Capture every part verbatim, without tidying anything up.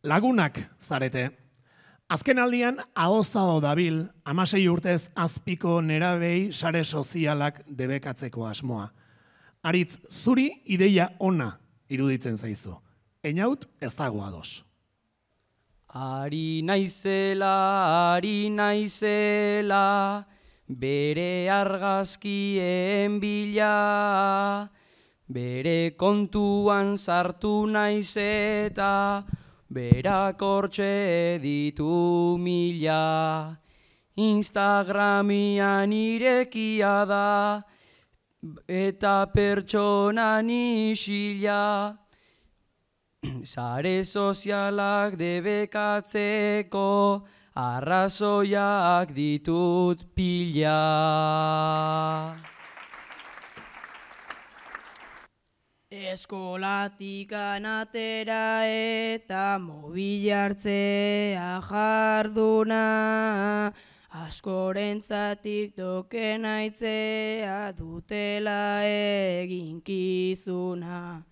Lagunak zarete. Azken aldian, ahozao dabil, hamasei urtez azpiko nerabei sare sozialak debekatzeko asmoa. Aritz, zuri ideia ona iruditzen zaizu. Einaut ez dago ados. Ari naizela, ari naizela, bere argazkien bila, bere kontuan sartu naiz eta berak hortxe ditu mila. Instagramian irekia da eta pertsonan isila. Sare sozialak debekatzeko arrazoiak ditut pila. Eskolatik anatera eta mobil hartzea jarduna, askorentzat token aitzea dutela eginkizuna.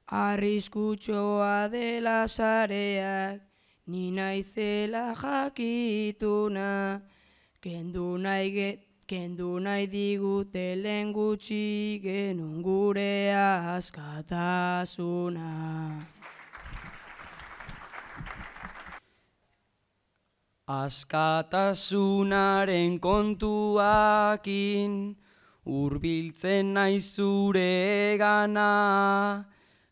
Arriskutxoa dela sareak, ni naizela jakituna, kendu nahi get, kendu nahi digute lehen gutxi genuen gure askatasuna. Askatasunaren kontuakin, hurbiltzen naiz zure gana,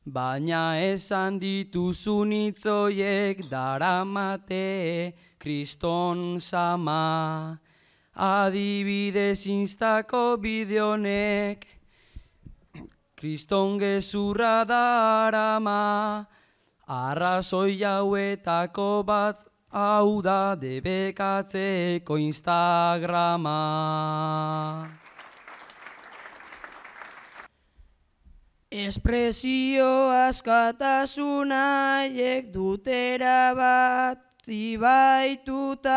baina esan dituzun hitzoiek daramate kriston sama. Adibidez instako bideonek kriston gezurra darama, arrazoi hauetako bat hau da debekatzeko Instagrama. Espresio askatasuna haiek dutera bat ibaituta,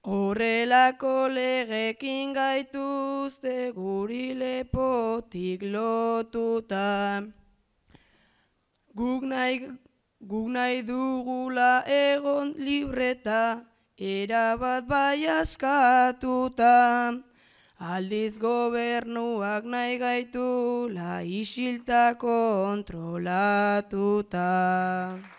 horrelako legekin gaituzte guri lepotik lotuta. Guk nahi, guk nahi dugula egon libreta, erabat bai askatuta. Aldiz gobernuak nahi gaitula isilta kontrolatuta.